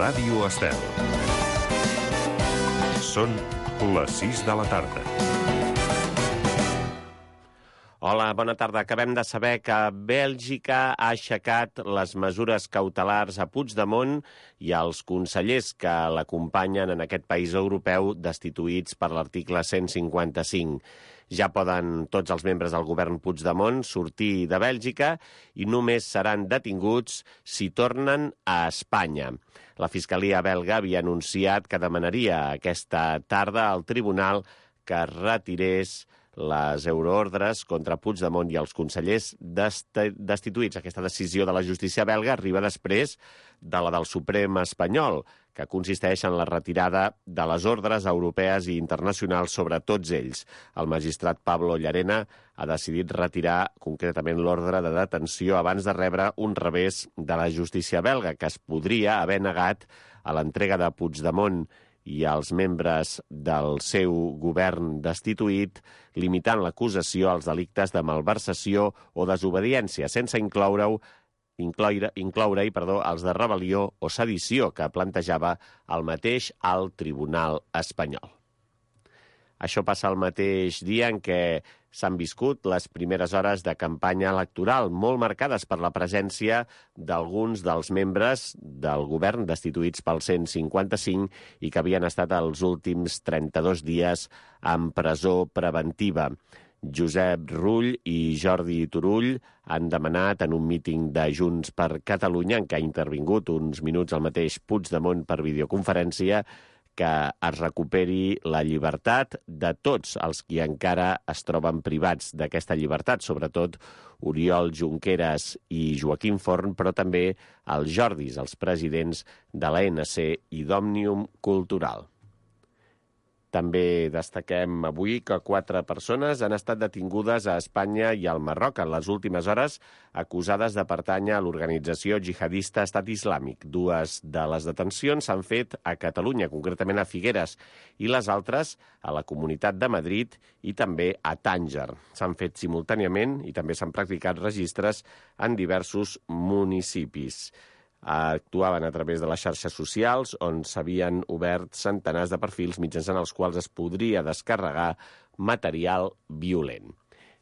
Ràdio Estel. Són les 6 de la tarda. Hola, bona tarda. Acabem de saber que Bèlgica ha aixecat les mesures cautelars a Puigdemont i als consellers que l'acompanyen en aquest país europeu destituïts per l'article 155. Ja poden tots els membres del govern Puigdemont sortir de Bèlgica i només seran detinguts si tornen a Espanya. La Fiscalia belga havia anunciat que demanaria aquesta tarda al tribunal que retirés les euroordres contra Puigdemont i els consellers destituïts. Aquesta decisió de la justícia belga arriba després de la del Suprem espanyol, que consisteix en la retirada de les ordres europees i internacionals sobre tots ells. El magistrat Pablo Llarena ha decidit retirar concretament l'ordre de detenció abans de rebre un revés de la justícia belga, que es podria haver negat a l'entrega de Puigdemont i els membres del seu govern destituït, limitant l'acusació als delictes de malversació o desobediència, sense incloure-hi els de rebel·lió o sedició que plantejava el mateix alt tribunal espanyol. Això passa el mateix dia en què s'han viscut les primeres hores de campanya electoral, molt marcades per la presència d'alguns dels membres del govern destituïts pel 155 i que havien estat els últims 32 dies en presó preventiva. Josep Rull i Jordi Turull han demanat en un míting de Junts per Catalunya, en què ha intervingut uns minuts el mateix Puigdemont per videoconferència, que es recuperi la llibertat de tots els qui encara es troben privats d'aquesta llibertat, sobretot Oriol Junqueras i Joaquim Forn, però també els Jordis, els presidents de l'ANC i d'Òmnium Cultural. També destaquem avui que 4 persones han estat detingudes a Espanya i al Marroc en les últimes hores, acusades de pertànyer a l'organització jihadista Estat Islàmic. 2 de les detencions s'han fet a Catalunya, concretament a Figueres, i les altres a la Comunitat de Madrid i també a Tànger. S'han fet simultàniament i també s'han practicat registres en diversos municipis. Actuaven a través de les xarxes socials, on s'havien obert centenars de perfils mitjançant els quals es podria descarregar material violent.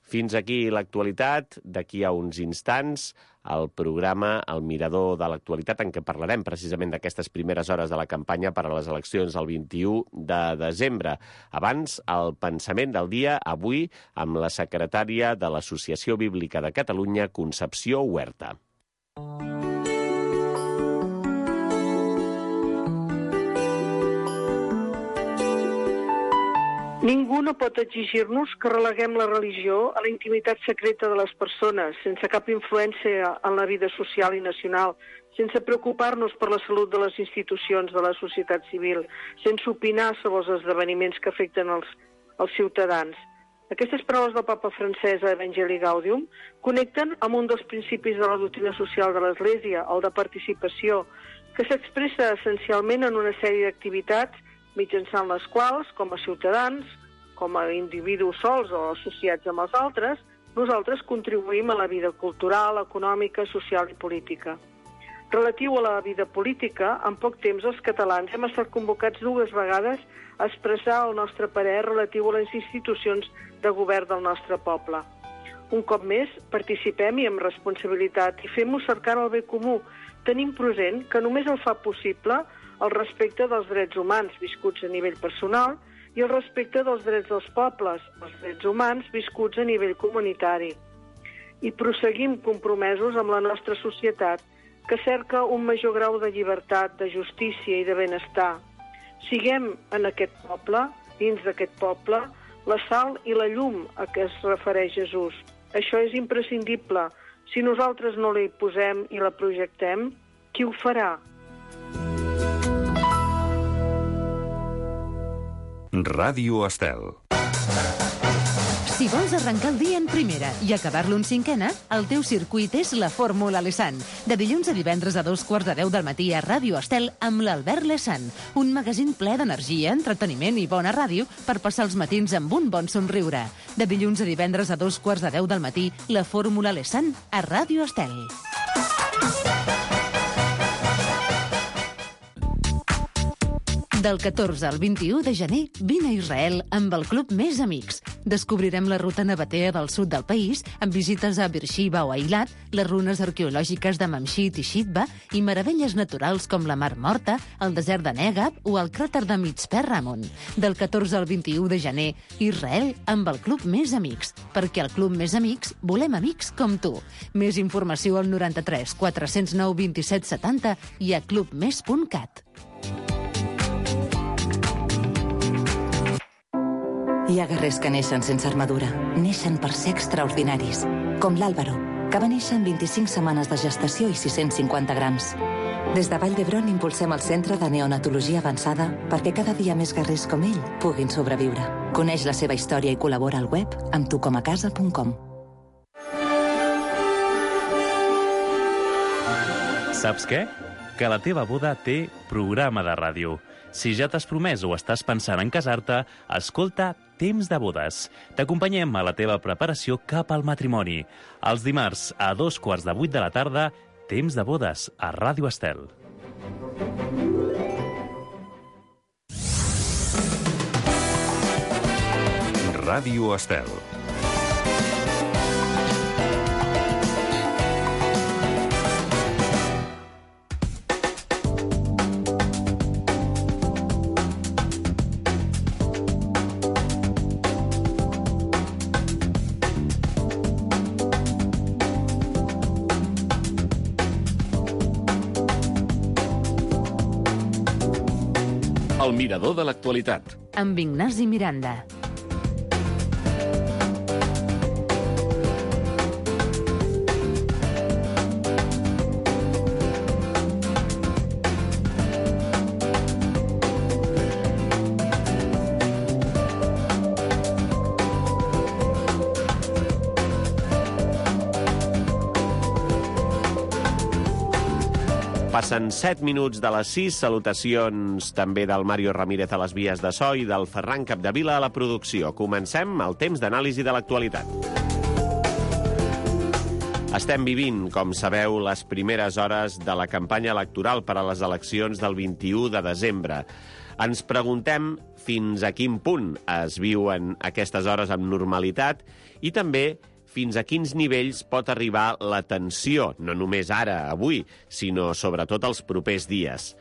Fins aquí l'actualitat. D'aquí a uns instants, el programa El Mirador de l'Actualitat, en què parlarem precisament d'aquestes primeres hores de la campanya per a les eleccions del 21 de desembre. Abans, el pensament del dia, avui, amb la secretària de l'Associació Bíblica de Catalunya, Concepció Huerta. Ningú no pot exigir-nos que releguem la religió a la intimitat secreta de les persones, sense cap influència en la vida social i nacional, sense preocupar-nos per la salut de les institucions de la societat civil, sense opinar sobre els esdeveniments que afecten els ciutadans. Aquestes paraules del papa francès a Evangelii Gaudium connecten amb un dels principis de la doctrina social de l'Església, el de participació, que s'expressa essencialment en una sèrie d'activitats mitjançant les quals, com a ciutadans, com a individus sols o associats amb els altres, nosaltres contribuïm a la vida cultural, econòmica, social i política. Relatiu a la vida política, en poc temps els catalans hem estat convocats 2 vegades a expressar el nostre parer relatiu a les institucions de govern del nostre poble. Un cop més, participem i amb responsabilitat i fem-ho cercant el bé comú, tenint present que només el fa possible el respecte dels drets humans viscuts a nivell personal i el respecte dels drets dels pobles, els drets humans viscuts a nivell comunitari. I proseguim compromesos amb la nostra societat, que cerca un major grau de llibertat, de justícia i de benestar. Siguem en aquest poble, dins d'aquest poble, la sal i la llum a què es refereix Jesús. Això és imprescindible. Si nosaltres no la hi posem i la projectem, qui ho farà? Ràdio Estel. Si vols arrencar el dia en primera i acabar-lo en 5ena, el teu circuit és la Fórmula Lesan. De dilluns a divendres a 2:15 del matí a Ràdio Estel amb l'Albert Lesan. Un magazín ple d'energia, entreteniment i bona ràdio per passar els matins amb un bon somriure. De dilluns a divendres a 2:15 del matí, la Fórmula Lesan a Ràdio Estel. Del 14 al 21 de gener, vine a Israel amb el Club Més Amics. Descobrirem la ruta nabatea del sud del país, amb visites a Beersheba o Eilat, les runes arqueològiques de Mamshit i Shitba i meravelles naturals com la Mar Morta, el desert de Negab o el cràter de Mitzpe Ramon. Del 14 al 21 de gener, Israel amb el Club Més Amics. Perquè al Club Més Amics volem amics com tu. Més informació al 93 409 27 70 i a clubmes.cat. Hi ha guerrers que neixen sense armadura. Neixen per ser extraordinaris. Com l'Àlvaro, que va néixer en 25 setmanes de gestació i 650 grams. Des de Vall d'Hebron impulsem el Centre de Neonatologia Avançada perquè cada dia més guerrers com ell puguin sobreviure. Coneix la seva història i col·labora al web amb tucomacasa.com. Saps què? Que la teva boda té programa de ràdio. Si ja t'has promès o estàs pensant en casar-te, escolta Temps de Bodes. T'acompanyem a la teva preparació cap al matrimoni. Els dimarts a 7:45 de la tarda, Temps de Bodes a Ràdio Estel. Ràdio Estel. El mirador de l'actualitat. Amb Ignasi Miranda. Passen 7 minuts de les 6. Salutacions també del Mario Ramírez a les vies de so i del Ferran Capdevila a la producció. Comencem el temps d'anàlisi de l'actualitat. Estem vivint, com sabeu, les primeres hores de la campanya electoral per a les eleccions del 21 de desembre. Ens preguntem fins a quin punt es viuen aquestes hores amb normalitat i també fins a quins nivells pot arribar la tensió, no només ara, avui, sinó sobretot els propers dies.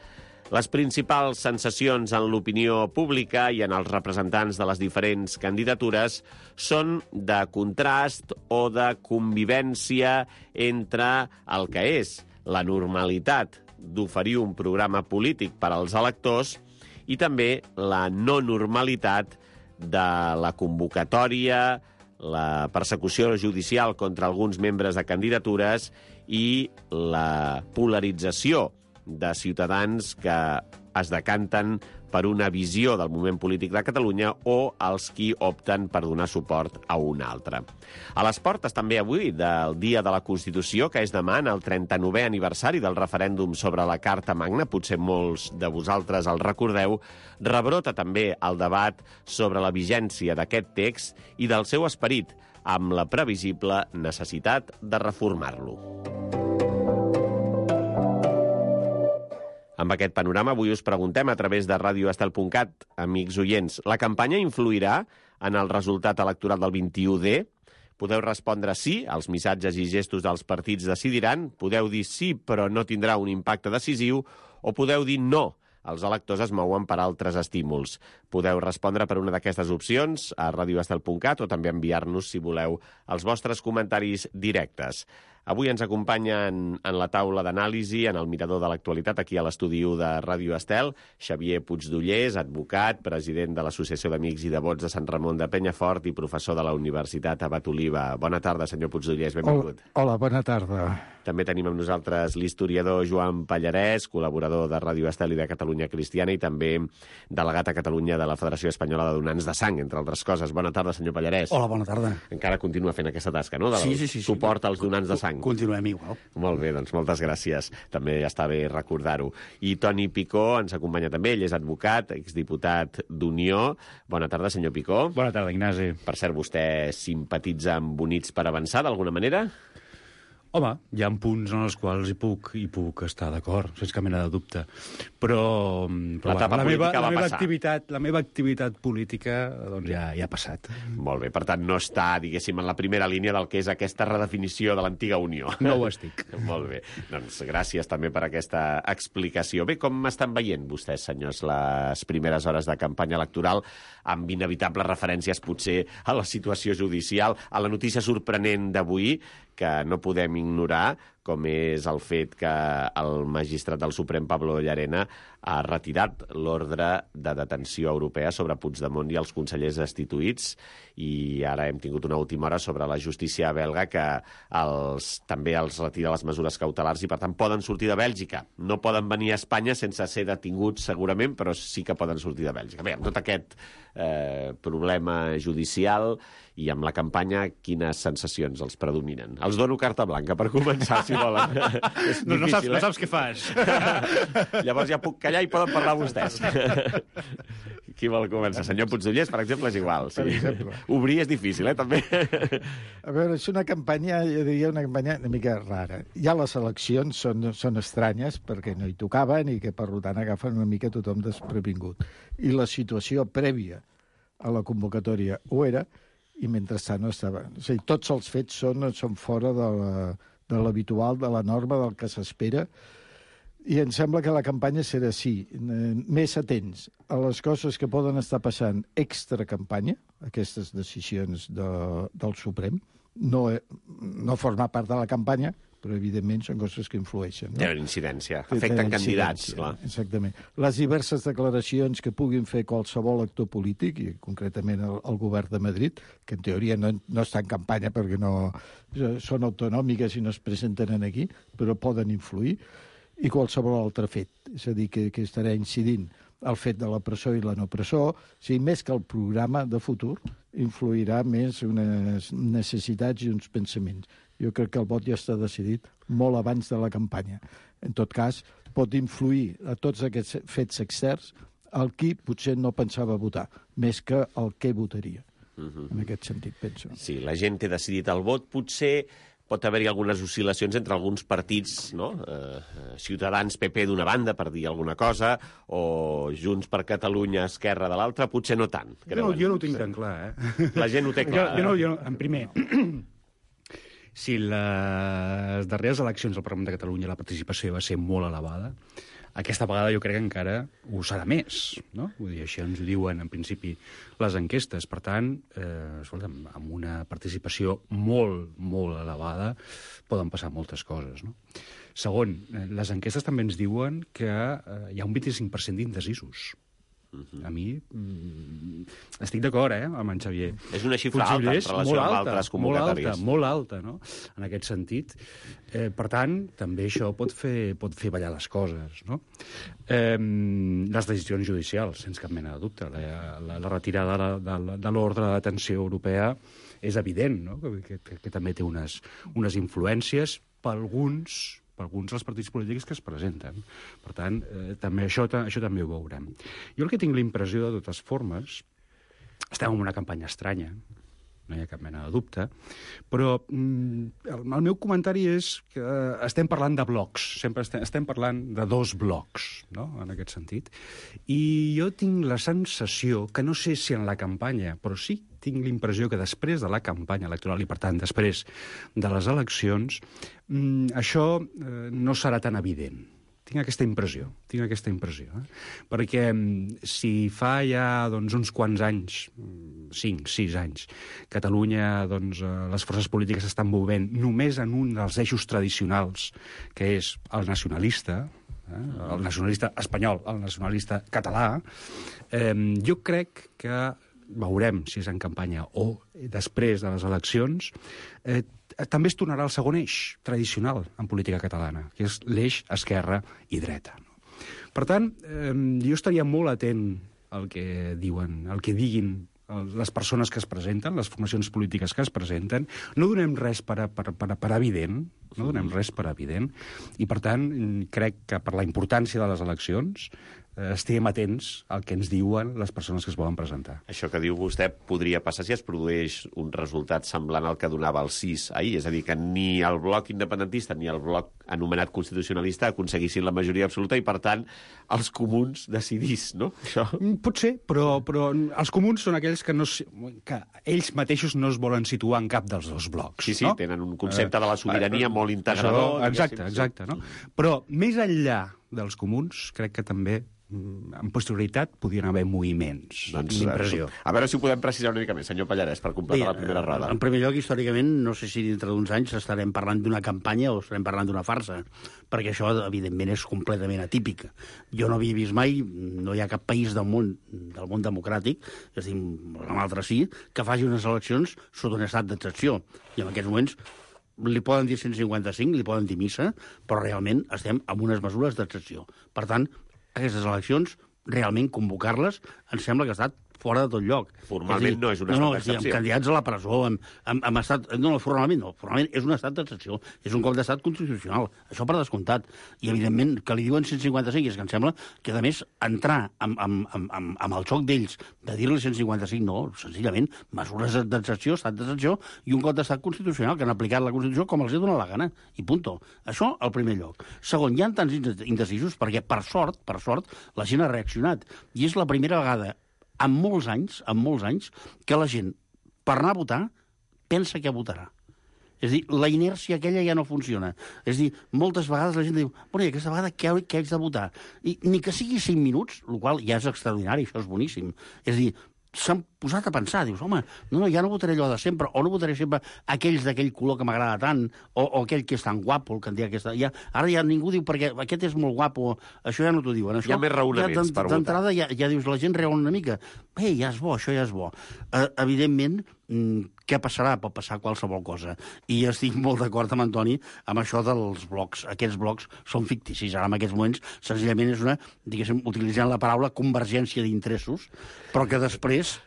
Les principals sensacions en l'opinió pública i en els representants de les diferents candidatures són de contrast o de convivència entre el que és la normalitat d'oferir un programa polític per als electors i també la no normalitat de la convocatòria, la persecució judicial contra alguns membres de candidatures i la polarització de ciutadans que es decanten per una visió del moment polític de Catalunya o els qui opten per donar suport a un altre. A les portes també avui del Dia de la Constitució, que és demà, en el 39è aniversari del referèndum sobre la Carta Magna, potser molts de vosaltres el recordeu, rebrota també el debat sobre la vigència d'aquest text i del seu esperit, amb la previsible necessitat de reformar-lo. Amb aquest panorama, avui us preguntem a través de radioestel.cat, amics oients, la campanya influirà en el resultat electoral del 21D? Podeu respondre sí, els missatges i gestos dels partits decidiran, podeu dir sí, però no tindrà un impacte decisiu, o podeu dir no, els electors es mouen per altres estímuls. Podeu respondre per una d'aquestes opcions a radioestel.cat o també enviar-nos, si voleu, els vostres comentaris directes. Avui ens acompanyen en la taula d'anàlisi, en el mirador de l'actualitat, aquí a l'estudi de Ràdio Estel, Xavier Puigdollers, advocat, president de l'Associació d'Amics i Devots de Sant Ramon de Penyafort i professor de la Universitat Abat Oliva. Bona tarda, senyor Puigdollers, benvingut. Hola, bona tarda. També tenim amb nosaltres l'historiador Joan Pallarès, col·laborador de Ràdio Estel i de Catalunya Cristiana i també delegat a Catalunya de la Federació Espanyola de Donants de Sang, entre altres coses. Bona tarda, senyor Pallarès. Hola, bona tarda. Encara continua fent aquesta tasca, no?, del suport als donants de sang. Continuem igual. Molt bé, doncs moltes gràcies. També està bé recordar-ho. I Toni Picó ens acompanya també. Ell és advocat, exdiputat d'Unió. Bona tarda, senyor Picó. Bona tarda, Ignasi. Per cert, vostè simpatitza amb Units per Avançar, d'alguna manera? Home, hi ha punts en els quals hi puc estar d'acord, sense cap mena de dubte. Però L'etapa política va passar. La meva activitat política doncs ja ha passat. Molt bé, per tant, no està, diguéssim, en la primera línia del que és aquesta redefinició de l'antiga Unió. No ho estic. Molt bé. Doncs gràcies també per aquesta explicació. Bé, com estan veient vostès, senyors, les primeres hores de campanya electoral, amb inevitables referències potser a la situació judicial, a la notícia sorprenent d'avui, que no podem ignorar, com és el fet que el magistrat del Suprem, Pablo Llarena, ha retirat l'ordre de detenció europea sobre Puigdemont i els consellers destituïts, i ara hem tingut una última hora sobre la justícia belga que també els retira les mesures cautelars i, per tant, poden sortir de Bèlgica. No poden venir a Espanya sense ser detinguts, segurament, però sí que poden sortir de Bèlgica. Bé, amb tot aquest problema judicial i amb la campanya, quines sensacions els predominen? Els dono carta blanca per començar, si volen. És no difícil, saps què fas. Llavors ja puc callar i poden parlar vostès. Qui vol començar? Senyor Puigdollers, per exemple, és igual. Sí. Obrir és difícil, també. A veure, és una campanya, jo diria una campanya una mica rara. Ja les eleccions són estranyes perquè no hi tocaven i que, per tant, agafen una mica tothom desprevingut. I la situació prèvia a la convocatòria ho era, i mentrestant no estava. O sigui, tots els fets són fora de l'habitual, de la norma, del que s'espera, i em sembla que la campanya serà així, més atents a les coses que poden estar passant extra-campanya, aquestes decisions del Suprem, no formar part de la campanya, però evidentment són coses que influeixen. Tenen incidència, afecten candidats, clar. Exactament. Les diverses declaracions que puguin fer qualsevol actor polític, i concretament el govern de Madrid, que en teoria no està en campanya perquè no són autonòmiques i no es presenten aquí, però poden influir, i qualsevol altre fet. És a dir, que estarà incidint el fet de la presó i la no presó, o sigui, més que el programa de futur, influirà més unes necessitats i uns pensaments. Jo crec que el vot ja està decidit molt abans de la campanya. En tot cas, pot influir a tots aquests fets externs el qui potser no pensava votar, més que el que votaria. En aquest sentit, penso. Sí, la gent té decidit el vot. Potser pot haver-hi algunes oscil·lacions entre alguns partits, no? Ciutadans, PP d'una banda, per dir alguna cosa, o Junts per Catalunya, Esquerra de l'altra, potser no tant. Jo no ho tinc tan clar, La gent ho té clar. Jo, en primer, si les darreres eleccions al Parlament de Catalunya la participació va ser molt elevada, aquesta vegada jo crec que encara ho serà més, no? Vull dir, això ens ho diuen, en principi, les enquestes. Per tant, escolta'm, amb una participació molt, molt elevada poden passar moltes coses, no? Segon, les enquestes també ens diuen que hi ha un 25% d'indecisos. A mi estic d'acord, amb en Xavier. És una xifra alta en relació amb altres convocatòries. Molt alta, no? En aquest sentit. Per tant, també això pot fer ballar les coses, no? Les decisions judicials, sense cap mena de dubte. La retirada de l'ordre de detenció europea és evident, no? Que també té unes influències per alguns dels partits polítics que es presenten. Per tant, també això també ho veurem. Jo el que tinc la impressió, de totes formes, estem en una campanya estranya, no hi ha cap mena de dubte, però el meu comentari és que estem parlant de blocs, sempre estem parlant de dos blocs, no?, en aquest sentit, i jo tinc la sensació, que no sé si en la campanya, però sí tinc l'impressió que després de la campanya electoral, i per tant després de les eleccions, això no serà tan evident. Tinc aquesta impressió. Perquè si fa ja uns quants anys, 5-6 anys, Catalunya, les forces polítiques s'estan movent només en un dels eixos tradicionals, que és el nacionalista, el nacionalista espanyol, el nacionalista català, jo crec que veurem si és en campanya o després de les eleccions, també es tornarà al segon eix tradicional en política catalana, que és l'eix esquerra i dreta. Per tant, jo estaria molt atent al que diuen, al que diguin les persones que es presenten, les formacions polítiques que es presenten. No donem res per evident, i per tant crec que per la importància de les eleccions estiguem atents al que ens diuen les persones que es volen presentar. Això que diu vostè podria passar si es produeix un resultat semblant al que donava el 6 ahir, és a dir, que ni el bloc independentista ni el bloc anomenat constitucionalista aconseguissin la majoria absoluta i, per tant, els comuns decidís, no? Això... Pot ser, però els comuns són aquells que ells mateixos no es volen situar en cap dels dos blocs. Sí, no? Tenen un concepte de la sobirania molt integrador. Exacte. No? Però més enllà dels comuns, crec que també en posterioritat podien haver moviments. Doncs, l'impressió. A veure si ho podem precisar una mica més, senyor Pallarès, per completar la primera roda. En primer lloc, històricament, no sé si dintre d'uns anys estarem parlant d'una campanya o estarem parlant d'una farsa, perquè això, evidentment, és completament atípic. Jo no havia vist mai, no hi ha cap país del món democràtic, és a dir, un altre sí, que faci unes eleccions sota un estat d'excepció. I en aquests moments li poden dir 155, li poden dir missa, però realment estem amb unes mesures d'excepció. Per tant, aquestes eleccions, realment convocar-les, em sembla que ha estat fora de tot lloc. Formalment no és un estat d'excepció. Amb candidats a la presó, amb estat... No, formalment no. Formalment és un estat d'excepció. És un cop d'estat constitucional. Això per descomptat. I, evidentment, que li diuen 155, és que em sembla que, a més, entrar amb el xoc d'ells de dir-li 155, no, senzillament, mesures d'excepció, estat d'excepció, i un cop d'estat constitucional que han aplicat la Constitució com els ha donat la gana. I punto. Això, al primer lloc. Segon, hi ha tants indecisos perquè, per sort, la gent ha reaccionat. I és la primera vegada en molts anys, que la gent, per anar a votar, pensa que votarà. És a dir, la inèrcia aquella ja no funciona. És a dir, moltes vegades la gent diu, bueno, i aquesta vegada què haig de votar? I ni que sigui 5 minuts, el qual ja és extraordinari, això és boníssim. És a dir, s'han posat a pensar, dius, home, no, ja no votaré allò de sempre, o no votaré sempre aquells d'aquell color que m'agrada tant, o aquell que és tan guapo, el candidat que està... Ara ja ningú diu, perquè aquest és molt guapo, això ja no t'ho diuen. Això, hi ha més raonaments per votar. D'entrada ja dius, la gent raona una mica, ja és bo, això ja és bo. Evidentment, què passarà? Pot passar qualsevol cosa. I estic molt d'acord amb Antoni amb això dels blocs. Aquests blocs són ficticis. Ara, en aquests moments, senzillament és una, diguéssim, utilitzant la paraula convergència d'interessos, però que després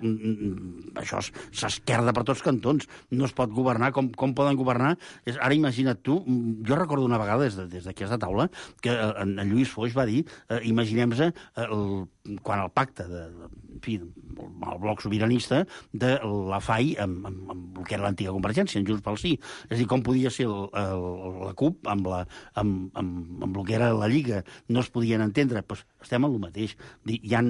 això s'esquerda per tots cantons. No es pot governar. Com poden governar? Ara imagina't tu, jo recordo una vegada des d'aquesta taula que en Lluís Foix va dir, imaginem-se quan el pacte el bloc sobiranista de la FAI amb el que era l'antiga Convergència, en Junts pel Sí. És a dir, com podia ser la CUP amb el que era la Lliga, no es podien entendre. Pues estem en el mateix. Hi ha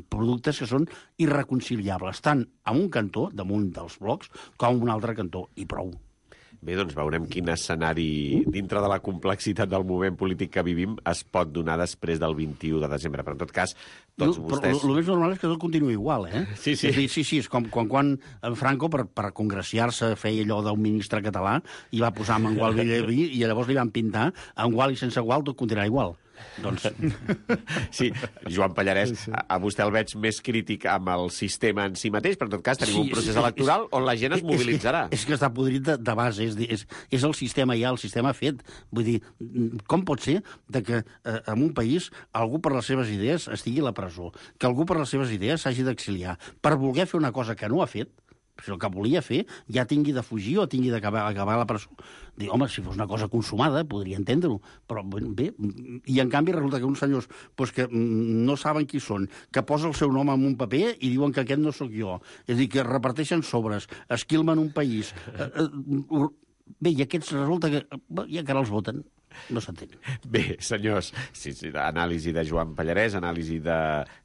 productes que són irreconciliables, tant en un cantó, damunt dels blocs, com en un altre cantó, i prou. Bé, doncs veurem quin escenari, dintre de la complexitat del moment polític que vivim, es pot donar després del 21 de desembre. Però, en tot cas, tots vostès... Però el més normal és que tot continua igual, eh? Sí. És com quan Franco, per congraciar-se, feia allò d'un ministre català i va posar amb Gual Villaví i llavors li van pintar amb Gual i sense Gual tot continuarà igual. Doncs... Sí, Joan Pallarès, a vostè el veig més crític amb el sistema en si mateix, però en tot cas tenim un procés electoral on la gent es mobilitzarà. És que està podrit de base, és el sistema ja, el sistema fet. Vull dir, com pot ser que en un país algú per les seves idees estigui a la presó, que algú per les seves idees s'hagi d'exiliar, per voler fer una cosa que no ha fet, si el que volia fer ja tingui de fugir o tingui d'acabar a la presó. Dic, home, si fos una cosa consumada, podria entendre-ho. Però bé, i en canvi resulta que uns senyors que no saben qui són, que posa el seu nom en un paper i diuen que aquest no sóc jo. És a dir, que reparteixen sobres, esquilmen un país. Bé, i aquests resulta que ja que ara els voten. No s'entén. Bé, senyors, anàlisi de Joan Pallarès, anàlisi de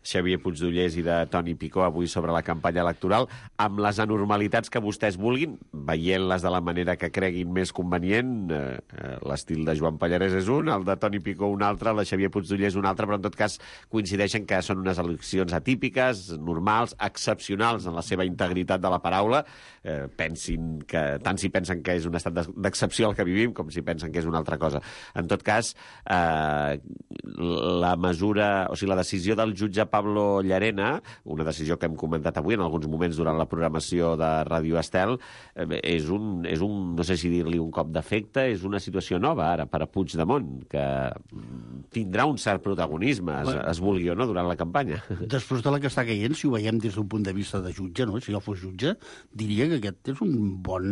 Xavier Puigdollers i de Toni Picó avui sobre la campanya electoral, amb les anormalitats que vostès vulguin, veient-les de la manera que creguin més convenient. L'estil de Joan Pallarès és un, el de Toni Picó un altre, el de Xavier Puigdollers un altre, però en tot cas coincideixen que són unes eleccions atípiques, normals, excepcionals en la seva integritat de la paraula. Pensin que tant si pensen que és un estat d'excepció el que vivim com si pensen que és una altra cosa. En tot cas, la decisió del jutge Pablo Llarena, una decisió que hem comentat avui en alguns moments durant la programació de Ràdio Estel, és un no sé si dir-li un cop d'efecte, és una situació nova ara per a Puigdemont, que tindrà un cert protagonisme, es vulgui o no, durant la campanya. Després de la que està caient, si ho veiem des d'un punt de vista de jutge, no? Si jo fos jutge, diria que aquest és un bon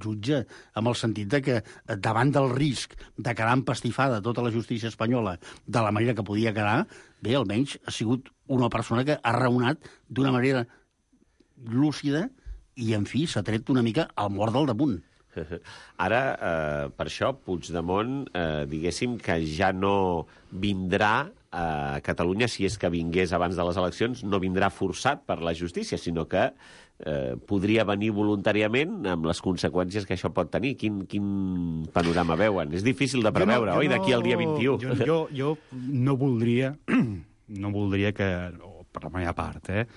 jutge, amb el sentit de que davant del risc de que quedar empastifada tota la justícia espanyola de la manera que podia quedar, bé, almenys ha sigut una persona que ha raonat d'una manera lúcida i, en fi, s'ha tret una mica al mort del damunt. Ara, per això, Puigdemont, diguéssim que ja no vindrà a Catalunya, si és que vingués abans de les eleccions, no vindrà forçat per la justícia, sinó que podria venir voluntàriament amb les conseqüències que això pot tenir. Quin panorama veuen? És difícil de preveure, oi, d'aquí al dia 21? Jo no voldria que, per la meva part, fer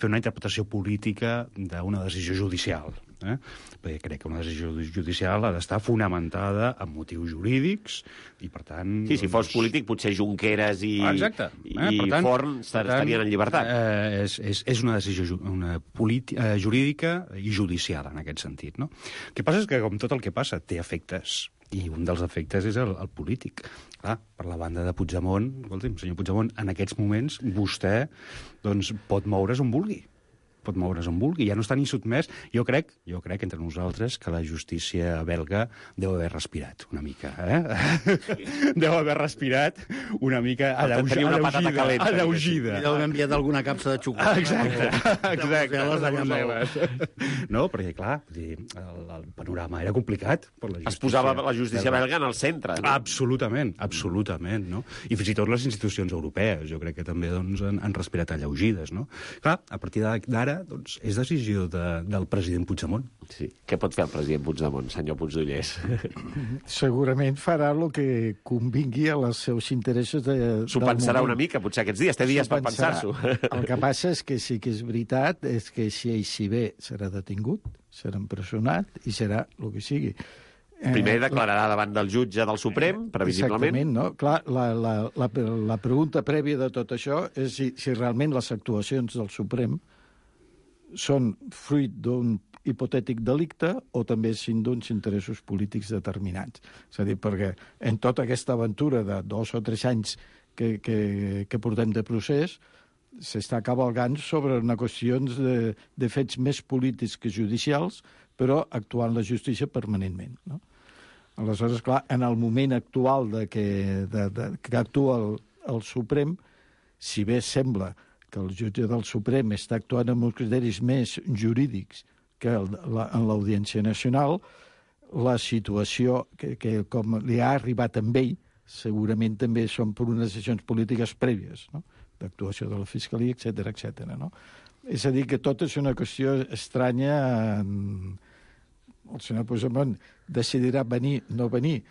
una interpretació política d'una decisió judicial. Perquè crec que una decisió judicial ha d'estar fonamentada en motius jurídics i, per tant... Sí, si fos polític, potser Junqueras i Forn estarien en llibertat. És una decisió jurídica i judicial, en aquest sentit, no? El que passa és que, com tot el que passa, té efectes. I un dels efectes és el polític. Clar, per la banda de Puigdemont, escolti'm, senyor Puigdemont, en aquests moments vostè doncs, pot moure's on vulgui. Ja no està ni sotmès. Jo crec entre nosaltres que la justícia belga deu haver respirat una mica, Deu haver respirat una mica aleugida. I deu haver enviat alguna capsa de xocolata. Exacte. No, perquè, clar, el panorama era complicat per la justícia. Es posava la justícia belga en el centre. No? Absolutament, no? I fins i tot les institucions europees, jo crec que també doncs, han respirat alleugides, no? Clar, a partir d'ara doncs, és decisió del president Puigdemont. Sí. Què pot fer el president Puigdemont, senyor Puigdollers? Segurament farà el que convingui a els seus interessos S'ho pensarà una mica, potser aquests dies. Té dies per pensar-s'ho. El que passa és que sí que és veritat, és que si ell s'hi ve serà detingut, serà empresonat i serà el que sigui. Primer declararà davant del jutge del Suprem, previsiblement. Exactament, no? Clar, la pregunta prèvia de tot això és si realment les actuacions del Suprem són fruit d'un hipotètic delicte o també sin d'uns interessos polítics determinats. És a dir, perquè en tota aquesta aventura de 2 o 3 anys que portem de procés s'està cavalgant sobre una qüestions de fets més polítics que judicials, però actuant la justícia permanentment, no? Aleshores, clar, en el moment actual que actua el Suprem, si bé sembla que el jutge del Suprem està actuant amb uns criteris més jurídics que en l'Audiència Nacional, la situació que com li ha arribat amb ell, segurament també són per unes decisions polítiques prèvies, no? D'actuació de la Fiscalia, etc., no? És a dir, que tot és una qüestió estranya. El senyor Puigdemont decidirà venir, no venir.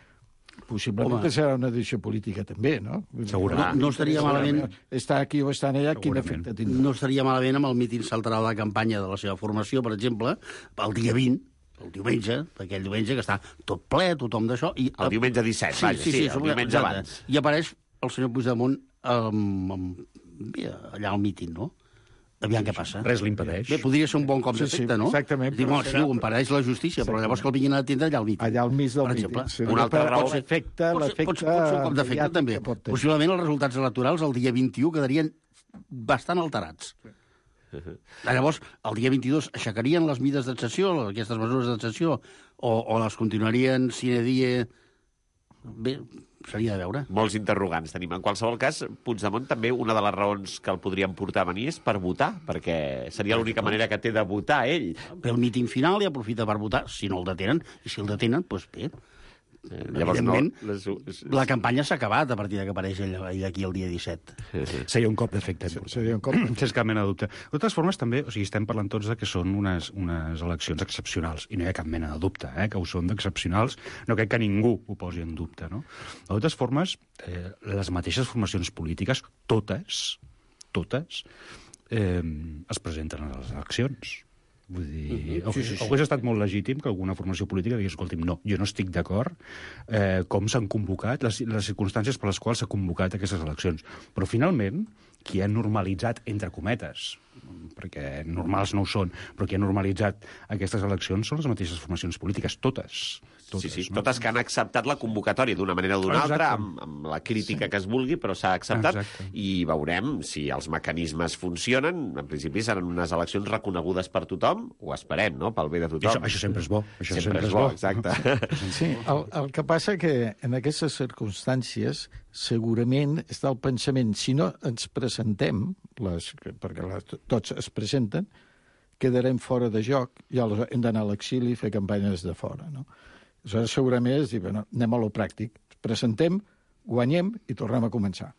Possiblement serà una decisió política també, no? Segurament. No estaria malament... Està aquí o està allà, quin efecte tindrà? No estaria malament amb el míting central de campanya de la seva formació, per exemple, el dia 20, el diumenge, aquell diumenge que està tot ple, tothom d'això... El diumenge 17, vaja, el diumenge abans. I apareix el senyor Puigdemont allà al míting, no? Aviam què passa. Res l'impedeix. Bé, podria ser un bon cop d'efecte, no? Exactament. Diu, sí, ho impedeix la justícia, però llavors que el vinguin a atendre allà al míting. Allà al mig del míting. Una altra raó. Pot ser un cop d'efecte, també. Possiblement els resultats electorals el dia 21 quedarien bastant alterats. Llavors, el dia 22 aixecarien les mides d'excepció, aquestes mesures d'excepció, o les continuarien sine die... Bé, seria de veure. Molts interrogants tenim. En qualsevol cas, Puigdemont també una de les raons que el podrien portar a venir és per votar, perquè seria l'única manera que té de votar ell. Però el míting final i aprofita per votar, si no el detenen, i si el detenen, doncs bé. Llavors, evidentment, la campanya s'ha acabat a partir que apareix ell aquí el dia 17. Seria un cop d'efecte. Seria un cop. Sense cap mena de dubte. De totes formes, també, o sigui, estem parlant tots de que són unes eleccions excepcionals, i no hi ha cap mena de dubte, que ho són d'excepcionals. No crec que ningú ho posi en dubte, no? De totes formes, les mateixes formacions polítiques, totes, es presenten a les eleccions. Vull dir, hauria estat molt legítim que alguna formació política digués, escolti'm, no, jo no estic d'acord com s'han convocat, les circumstàncies per les quals s'ha convocat aquestes eleccions. Però finalment, qui ha normalitzat, entre cometes, perquè normals no ho són, però qui ha normalitzat aquestes eleccions són les mateixes formacions polítiques, totes, sí, no? totes que han acceptat la convocatòria d'una manera o d'una altra, amb la crítica que es vulgui, però s'ha acceptat, i veurem si els mecanismes funcionen. En principi seran unes eleccions reconegudes per tothom, ho esperem, no?, pel bé de tothom. Això sempre és bo. Això sempre és bo, exacte. Sí, el que passa que en aquestes circumstàncies segurament està el pensament, si no ens presentem, perquè tots es presenten, quedarem fora de joc i aleshores hem d'anar a l'exili i fer campanyes de fora, no? Aleshores segurament és dir, bueno, anem a lo pràctic, presentem, guanyem i tornem a començar.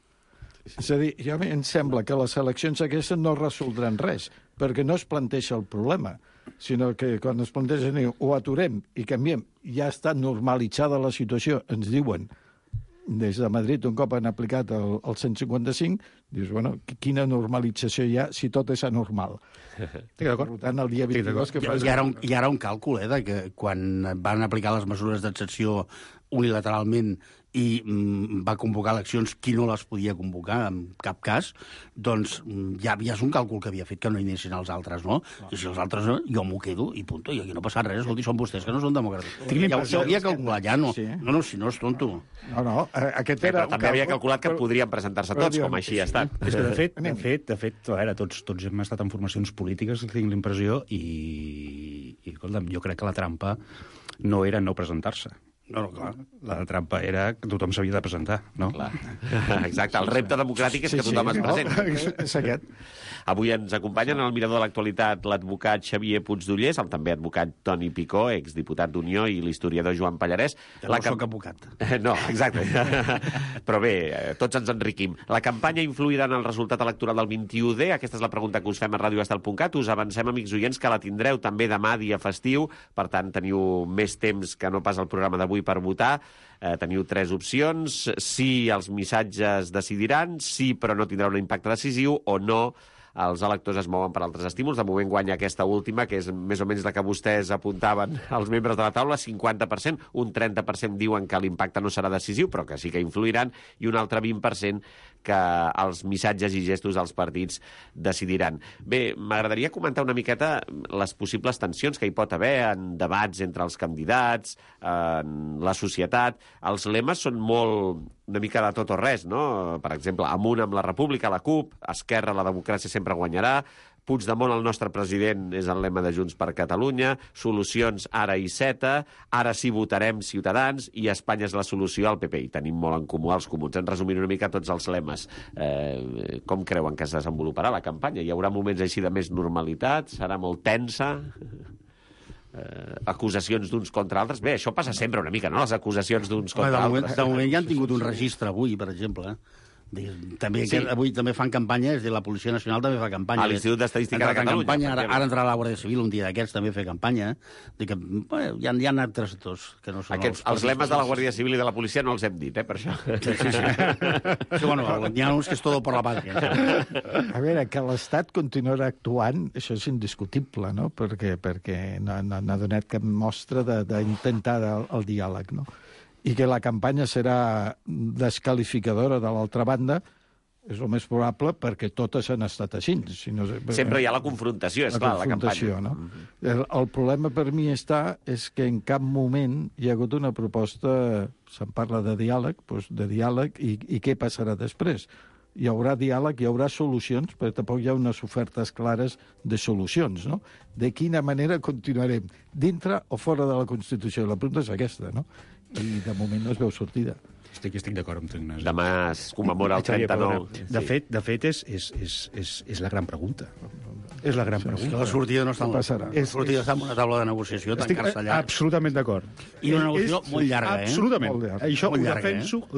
És a dir, ja em sembla que les eleccions aquestes no resoldran res, perquè no es planteja el problema, sinó que quan es planteja ho aturem i canviem, ja està normalitzada la situació, ens diuen des de Madrid, un cop han aplicat el 155, dius, bueno, quina normalització hi ha si tot és anormal? Estic d'acord. Per tant, el dia 22... Hi ha un càlcul, de que quan van aplicar les mesures d'excepció unilateralment i va convocar eleccions qui no les podia convocar en cap cas, doncs ja és un càlcul que havia fet que no hi anessin els altres, no? I si els altres no, jo m'ho quedo i punto, i aquí no passa res. Escolti, són vostès que no són demòcrates. Ja ho havia calculat, ja no. No, si no és tonto. No, aquest era... Però també havia calculat que podrien presentar-se tots, com així ha estat. És que, de fet, a veure, tots hem estat en formacions polítiques, tinc la impressió, i escolta'm, jo crec que la trampa no era no presentar-se. No, clar. La trampa era que tothom s'havia de presentar, no? Clar. Exacte, el repte democràtic és que tothom es presenti. És aquest. Avui ens acompanyen en el Mirador de l'Actualitat l'advocat Xavier Puigdollers, el també advocat Toni Picó, exdiputat d'Unió, i l'historiador Joan Pallarès. Que no soc advocat. No, exacte. Però bé, tots ens enriquim. La campanya influirà en el resultat electoral del 21D? Aquesta és la pregunta que us fem a radioestel.cat. Us avancem, amics oients, que la tindreu també demà, dia festiu. Per tant, teniu més temps que no pas el programa d'avui per votar. Teniu 3 opcions. Sí, els missatges decidiran. Sí, però no tindrà un impacte decisiu. O no, els electors es mouen per altres estímuls. De moment guanya aquesta última, que és més o menys la que vostès apuntaven als membres de la taula, 50%. Un 30% diuen que l'impacte no serà decisiu, però que sí que influiran, i un altre 20% que els missatges i gestos dels partits decidiran. Bé, m'agradaria comentar una miqueta les possibles tensions que hi pot haver en debats entre els candidats, en la societat. Els lemes són una mica de tot o res, no? Per exemple, Amunt amb la República, la CUP, Esquerra, la democràcia sempre guanyarà, Puigdemont, el nostre president, és el lema de Junts per Catalunya, solucions ara i Iceta, ara sí votarem Ciutadans, i Espanya és la solució al PP. I tenim molt en comú els comuns. En resumint una mica tots els lemes. Com creuen que es desenvoluparà la campanya? Hi haurà moments així de més normalitat? Serà molt tensa? Acusacions d'uns contra altres? Bé, això passa sempre una mica, no?, les acusacions d'uns contra altres. De moment ja han tingut un registre avui, per exemple, També, sí. Avui també fan campanya, és a dir, la Policia Nacional també fa campanya. A l'Institut d'Estadística de Catalunya. Campanya, ara entrarà la Guàrdia Civil un dia d'aquests, també fer campanya. Que, bueno, hi ha altres dos que no són els lemes de la Guàrdia Civil i de la policia no els hem dit, per això. Sí, bueno, n'hi ha uns que és todo por la patria. A veure, que l'Estat continuarà actuant, això és indiscutible, no? Perquè no ha donat cap mostra d'intentar el diàleg, no? I que la campanya serà desqualificadora de l'altra banda, és el més probable perquè totes han estat així. Si no, sempre hi ha la confrontació, és clar, la campanya. No? El problema per mi és que en cap moment hi ha hagut una proposta, se'n parla de diàleg, i què passarà després? Hi haurà diàleg, hi haurà solucions, però tampoc hi ha unes ofertes clares de solucions, no? De quina manera continuarem, dintre o fora de la Constitució? La pregunta és aquesta, no? I de moment no es veu sortida. Estic d'acord amb tu, Ignasi. Demà es commemora el 39. De fet, és la gran pregunta. És la gran pregunta. Que la sortida no està la sortida està en una taula de negociació, tancar-se allà. Absolutament d'acord. I una negociació molt llarga, Absolutament. Això ho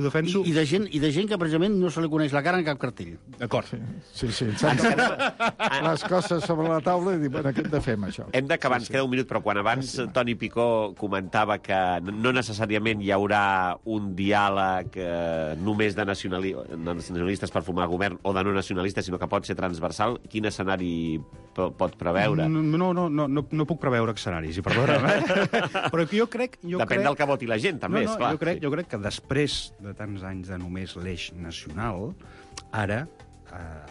defenso. I de gent que precisament no se li coneix la cara en cap cartell. D'acord. Sí. Les coses sobre la taula i dir, bueno, què hem de fer amb això? Hem d'acabar, ens queda un minut, però quan abans Toni Picó comentava que no necessàriament hi haurà un diàleg només de nacionalistes per formar govern o de no nacionalistes, sinó que pot ser transversal, quin escenari pot preveure? No puc preveure escenaris, i perdona'm, però jo crec... Depèn del que voti la gent, també, esclar. Jo crec que després de tants anys de només l'eix nacional, ara,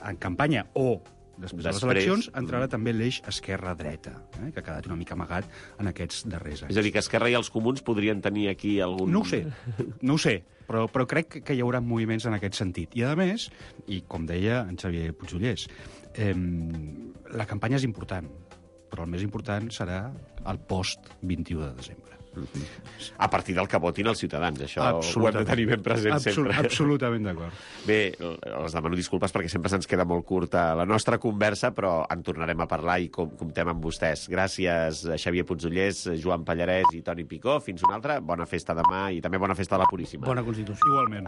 en campanya o Després de les eleccions entrarà també l'eix esquerra-dreta, que ha quedat una mica amagat en aquests darrers anys. És a dir, que Esquerra i els Comuns podrien tenir aquí algun... No ho sé, però crec que hi haurà moviments en aquest sentit. I, a més, i com deia en Xavier Pujollers, la campanya és important, però el més important serà el post-21 de desembre. A partir del que votin els ciutadans, això ho hem de tenir ben present sempre. Absolutament d'acord. Bé, els demano disculpes perquè sempre se'ns queda molt curta la nostra conversa, però en tornarem a parlar i comptem amb vostès. Gràcies a Xavier Pujollers, Joan Pallarès i Toni Picó. Fins una altra. Bona festa demà i també bona festa a la Puríssima. Bona Constitució. Igualment.